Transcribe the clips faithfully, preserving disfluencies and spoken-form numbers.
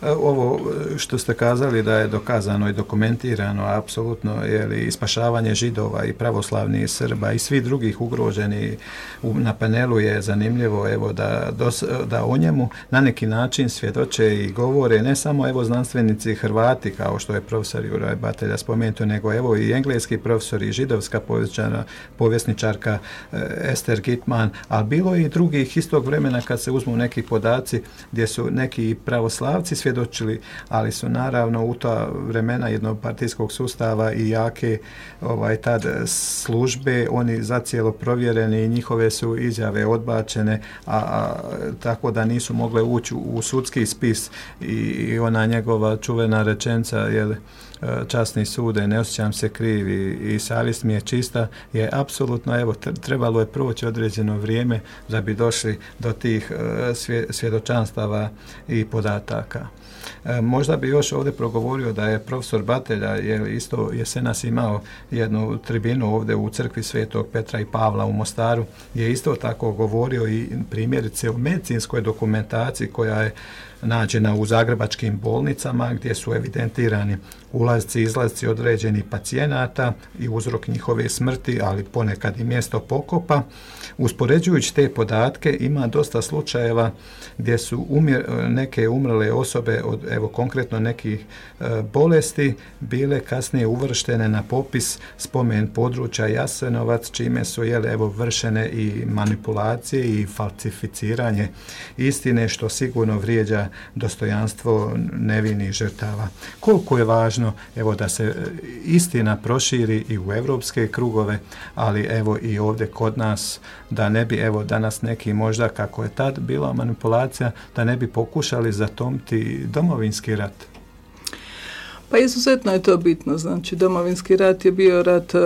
Ovo što ste kazali da je dokazano i dokumentirano apsolutno je i spašavanje Židova i pravoslavnih Srba i svi drugih ugroženi na panelu je zanimljivo evo da, dos, da o njemu na neki način svjedoče i govore ne samo evo znanstvenici Hrvati kao što je profesor Juraj Batelja spomenuto, nego evo i engleski profesor i židovska povjesničarka Ester Gitman, ali bilo i drugih istog vremena kad se uzmu neki podaci gdje su neki pravoslavci svjedočili, ali su naravno u ta vremena jednopartijskog sustava i jake ovaj, tad službe, oni zacijelo provjereni i njihove su izjave odbačene, a, a tako da nisu mogle ući u, u sudski spis i, i ona njegova čuvena rečenca je časni sude, ne osjećam se kriv i, i savjest mi je čista, je apsolutno, evo, trebalo je proći određeno vrijeme da bi došli do tih svje, svjedočanstava i podataka. E, možda bi još ovdje progovorio da je profesor Batelja je isto jesenas imao jednu tribinu ovdje u crkvi Svetog Petra i Pavla u Mostaru, je isto tako govorio i primjerice o medicinskoj dokumentaciji koja je nađena u zagrebačkim bolnicama gdje su evidentirani ulazci i izlazci određenih pacijenata i uzrok njihove smrti, ali ponekad i mjesto pokopa. Uspoređujući te podatke ima dosta slučajeva gdje su umjer, neke umrle osobe od evo konkretno nekih e, bolesti bile kasnije uvrštene na popis spomen područja Jasenovac, čime su jele, evo vršene i manipulacije i falsificiranje istine, što sigurno vrijeđa dostojanstvo nevinih žrtava. Koliko je važno evo da se istina proširi i u evropske krugove, ali evo i ovdje kod nas, da ne bi evo danas neki možda kako je tad bila manipulacija, da ne bi pokušali zatomiti domovinski rat. Pa izuzetno je to bitno, znači domovinski rat je bio rat uh,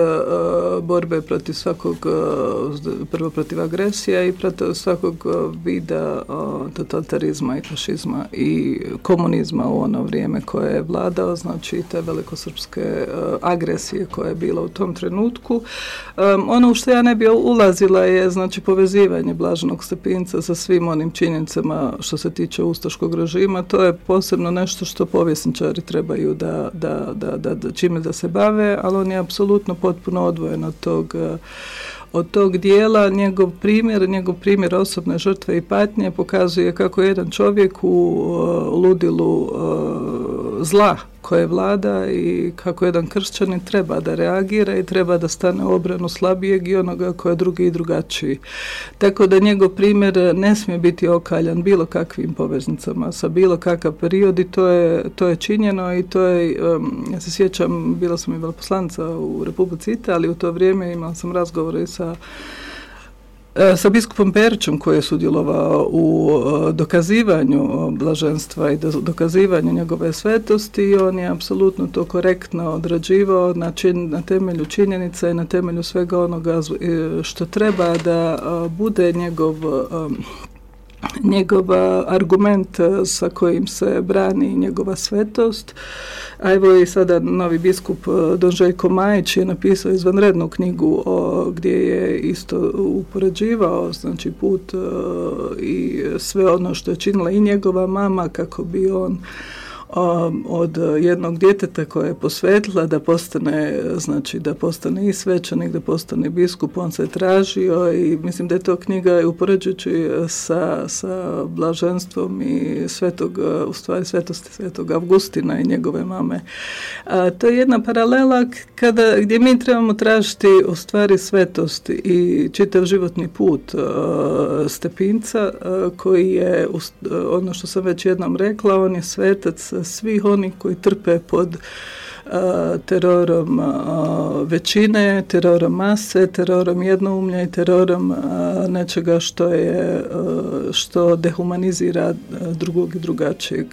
borbe protiv svakog, uh, prvo protiv agresija i protiv svakog uh, vida uh, totalitarizma i fašizma i komunizma u ono vrijeme koje je vladao, znači te velikosrpske uh, agresije koja je bila u tom trenutku. Um, ono u što ja ne bi ulazila je znači povezivanje Blaženog Stepinca sa svim onim činjenicama što se tiče ustaškog režima, to je posebno nešto što povjesničari trebaju da Da, da, da, da, čime da se bave, ali on je apsolutno potpuno odvojen od tog, od tog dijela. Njegov primjer, njegov primjer osobne žrtve i patnje pokazuje kako jedan čovjek u uh, ludilu uh, zla koje vlada i kako jedan kršćanin treba da reagira i treba da stane u obranu slabijeg i onoga koja je drugi i drugačiji. Tako da njegov primjer ne smije biti okaljan bilo kakvim poveznicama sa bilo kakav period i to je, to je činjeno i to je, um, ja se sjećam, bila sam i veleposlanica u Republici Italiji, u to vrijeme imala sam razgovore sa sa biskupom Perićem koji je sudjelovao u dokazivanju blaženstva i dokazivanju njegove svetosti i on je apsolutno to korektno odrađivao na, čin, na temelju činjenica i na temelju svega onoga što treba da bude njegov njegov argument sa kojim se brani njegova svetost. A evo i sada novi biskup don Željko Majić je napisao izvanrednu knjigu o, gdje je isto upoređivao znači put o, i sve ono što je činila i njegova mama kako bi on od jednog djeteta koje je posvetila da postane, znači da postane i svećenik, da postane biskup, on se tražio i mislim da je to knjiga upoređujući sa, sa blaženstvom i svetog, u stvari svetosti svetog Avgustina i njegove mame. A, to je jedna paralela kada, gdje mi trebamo tražiti u stvari svetost i čitav životni put a, Stepinca a, koji je, ono što sam već jednom rekla, on je svetac svih onih koji trpe pod uh, terorom uh, većine, terorom mase, terorom jednoumlja i terorom uh, nečega što je uh, što dehumanizira drugog i drugačijeg.